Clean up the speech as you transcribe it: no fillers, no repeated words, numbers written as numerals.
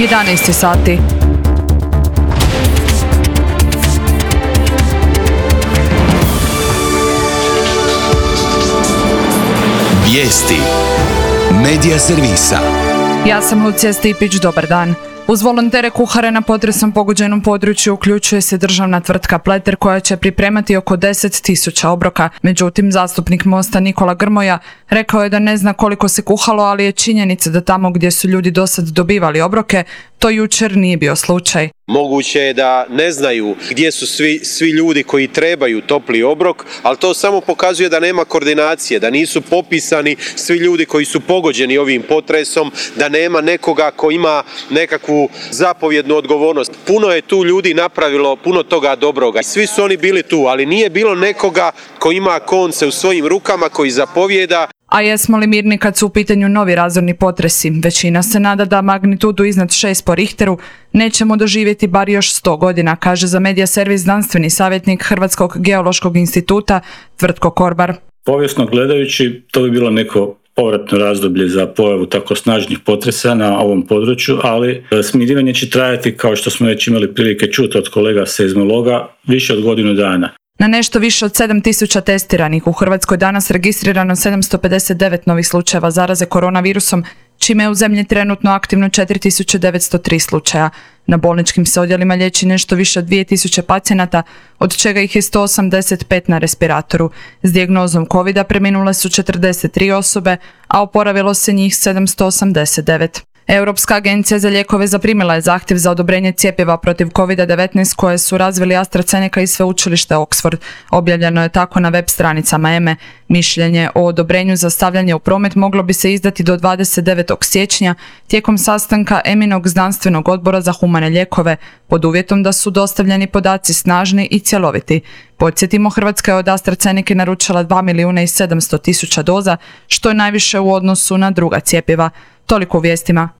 11 sati. Vijesti Medija servisa. Ja sam Lucija Stipić, dobar dan. Uz volontere kuhare na potresom pogođenom području uključuje se državna tvrtka Pleter koja će pripremati oko 10.000 obroka. Međutim, zastupnik Mosta Nikola Grmoja rekao je da ne zna koliko se kuhalo, ali je činjenica da tamo gdje su ljudi dosad dobivali obroke, to jučer nije bio slučaj. Moguće je da ne znaju gdje su svi ljudi koji trebaju topli obrok, ali to samo pokazuje da nema koordinacije, da nisu popisani svi ljudi koji su pogođeni ovim potresom, da nema nekoga ko ima nekakvu zapovjednu odgovornost. Puno je tu ljudi napravilo puno toga dobroga. Svi su oni bili tu, ali nije bilo nekoga ko ima konce u svojim rukama, koji zapovjeda. A jesmo li mirni kad su u pitanju novi razorni potresi? Većina se nada da magnitudu iznad 6 po Richteru nećemo doživjeti bar još 100 godina, kaže za Medija servis znanstveni savjetnik Hrvatskog geološkog instituta Tvrtko Korbar. Povijesno gledajući, to bi bilo neko povratno razdoblje za pojavu tako snažnih potresa na ovom području, ali smirivanje će trajati, kao što smo već imali prilike čuti od kolega seizmologa, više od godinu dana. Na nešto više od 7.000 testiranih u Hrvatskoj danas registrirano 759 novih slučajeva zaraze koronavirusom, čime je u zemlji trenutno aktivno 4.903 slučaja. Na bolničkim se odjelima liječi nešto više od 2.000 pacijenata, od čega ih je 185 na respiratoru. S dijagnozom covida preminule su 43 osobe, a oporavilo se njih 789. Europska agencija za lijekove zaprimila je zahtjev za odobrenje cjepiva protiv COVID-19 koje su razvili AstraZeneca i sveučilište Oxford. Objavljeno je tako na web stranicama EME. Mišljenje o odobrenju za stavljanje u promet moglo bi se izdati do 29. siječnja tijekom sastanka EMInog znanstvenog odbora za humane lijekove, pod uvjetom da su dostavljeni podaci snažni i cjeloviti. Podsjetimo, Hrvatska je od AstraZeneca naručila 2.700.000 doza, što je najviše u odnosu na druga cjepiva. Toliko u vijestima.